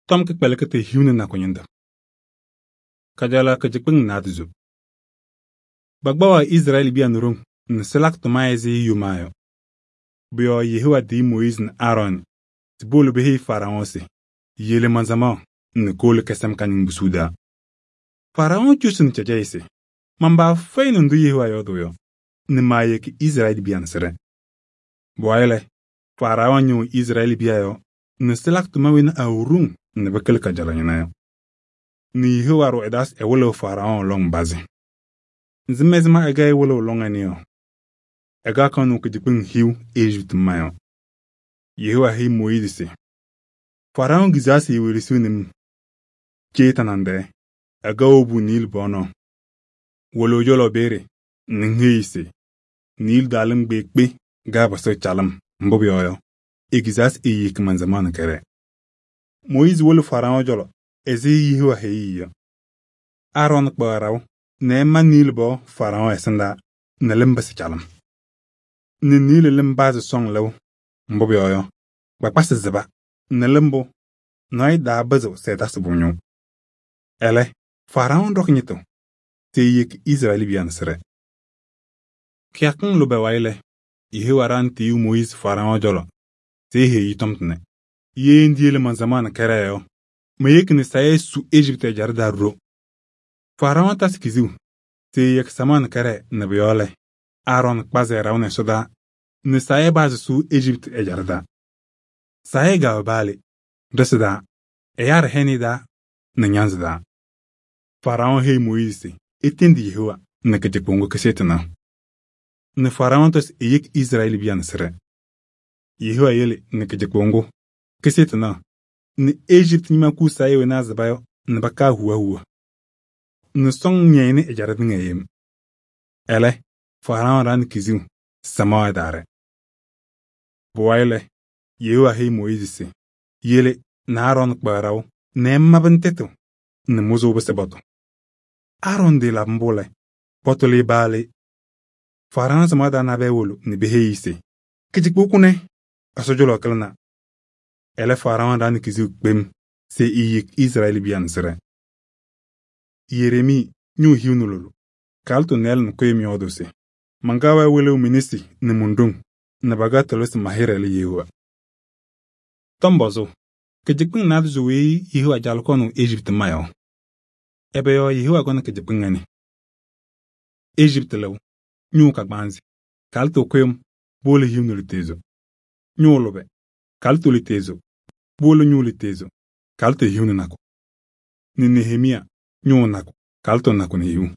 Tɔm kɩkpɛlɩkɩ tɩ hiu nɛ nakʋ ñɩnɖɛ. Kajalaɣ kɩcɩkpɩŋ naadozo. Bakpaɣ Izrɛɛlɩ biya nɛ ɖoŋ nɛ sɩlakɩ tʋma ɛzɩ yomaa yɔ. Pʋ-yɔɔ Yehowa tiyi Mooyiizi nɛ Aarɔɔnɩ se powolo peheyi Faraɔn se: yele man-samaɣ nɛ kowolo kɛsɛm ka-ñɩmbusuu taa. Faraɔn cosini cɛjɛyɛ se: man-paa fɛyɩnɩ ndʋ Yehowa yɔɔdʋʋ yɔ nɛ maayeki Izrɛɛlɩ biya nɛ sɩɖɛ. Pʋwayɩ lɛ, Faraɔn ñɩɣ Izrɛɛlɩ biya yɔɔ nɛ sɩlakɩ tʋma wena awɛ ɖoŋ nɛ pɩkɩlɩ kajalaɣ ñɩna yɔ. Nɛ Yehowa ɖʋ ɛ-taa se ɛwɩlɩɣ Faraɔn lɔŋ pazɩ. Ŋsɩm ɛzɩma ɛkɛ ɛwɩlɩɣ lɔŋ ɛnɛ yɔ? Ɛkɛ kanʋʋ kɩcɩkpɩŋ hiu Ejiptɩ mma yɔ. Yehowa heyi Mooyiizi se: Faraɔn kizaa se ewelesiɣni-m. Cee tanaŋ-tɛɛ, ɛkɛ wobu Niili pɔɔnɔɔ. Wolo ɛ-cɔlɔ peeye nɛ ŋheyi se: Niili daalɩm kpeekpe gaapɩsɩɣ calɩm, mbʋ pʋyɔɔ yɔ, ekizaa se eyeki man-samaɣ nɛ kɛɖɛɛ. Mooyiizi wolo Faraɔn cɔlɔ ɛzɩ Yehowa heyi-i yɔ. Aarɔn kpaɣ ɖaʋ nɛ ɛma Niili pɔɔ Faraɔn ɛsɩndaa nɛ lɩm pɩsɩ calɩm. Nɛ Niili lɩm pazɩ sɔŋ lɩʋ, mbʋ pʋyɔɔ yɔ, kpakpasɩ sɩba nɛ lɩmbʋ nɔɔyʋ taapɩzɩɣ se ɛtasɩ pʋ-ñʋʋ. Ɛlɛ, Faraɔn ɖɔkɩ ñɩtʋ se eyeki Izrɛɛlɩ biya nɛ sɩɖɛ. Kɩyakɩŋ lʋbɛ wayɩ lɛ, Yehowa ɖaɣnɩ tiyiyu Mooyiizi Faraɔn cɔlɔ se eheyi-i tɔm tʋnɛ: ye ndiyele man-samaɣ nɛ kɛɖɛɛ yɔ, meyeki nɛ sayɩ su Ejiptɩ ɛjaɖɛ taa ɖo. Faraɔn tasɩ kiziu se eyeki samaɣ nɛ kɛɖɛɛ nɛ pʋ-yɔɔ lɛ, Aarɔn kpazɩ ɛ-ɖaʋ nɛ ɛsɔdaa nɛ sayɩ pazɩ sʋ Ejiptɩ ɛjaɖɛ taa. Sayɩ kɛwɛ paalɩ, ɖɩsɩ taa, ɛyaa ɖɩhɛnɩ taa nɛ ñanzɩ taa. Faraɔn heyi Mooyiizi se etendi Yehowa nɛ kɩcɩkpʋ kɩsɩ tɩnaɣ. Nɛ Faraɔn tɔ se eyeki Izrɛɛlɩ biya nɛ sɩɖɛ. Yehowa yele nɛ kɩcɩkpʋ kɩsɩ tɩnaɣ nɛ Ejiptɩ ñɩma kuu sayɩ wena azɩba yɔ nɛ pakaa huwa huwa. Nɛ sɔŋ ñɛyɩnɩ ɛjaɖɛ tɩŋa yem. Ɛlɛ, Faraɔn ɖaɣnɩ kiziu samaɣ ɛtaarɛ. Pʋwayɩ lɛ, Yehowa heyi Mooyiizi se yele nɛ Aarɔn kpaɣ ɖaʋ nɛ ɛmabɩ tɛtʋ nɛ mʋzʋʋ pɩsɩ bɔtʋ. Aarɔn delabɩ mbʋ lɛ, pɔtʋlɩ baalɩ. Faraɔn samaɣ taa nabɛyɛ wolo nɛ peheyi-i se: kɩcɩkpʋ kʋnɛ, Ɛsɔ cɔlɔ kɩlɩna. Ɛlɛ, Faraɔn ɖaɣnɩ kiziu kpem se eyeki Izrɛɛlɩ biya nɛ sɩɖɛ. Yeremii ñʋʋ hiu nɛ lʋlʋ. Kalɩtʋ nɩɩlɛ nɛ kʋyɩm yɔɔdʋʋ se: mankaɣ-wɛ wɩlɩɣ mi-nesi nɛ mon-ɖoŋ nɛ pakɛ tʋlɩ se ma-hɩɖɛ lɛ Yehowa. Tɔmbɔzʋʋ, kɩcɩkpɩŋ naadozo weyi Yehowa jalɩ kɔnʋʋ Ejiptɩ mma yɔ. Ɛbɛ yɔɔ Yehowa kɔnɩ kɩcɩkpɩŋ ɛnɛ? Ejiptɩ lɩʋ, ñʋʋ kagbaanzɩ, kalɩtʋ kʋyɩm, powolo hiu nɛ lutezo. Ñʋʋ lʋbɛ, kalɩtʋ lutezo, powolo ñʋʋ lutezo, kalɩtʋ hiu nɛ nakʋ. Nɛ Nehemiya, ñʋʋ nakʋ, kalɩtʋ nakʋ nɛ hiu.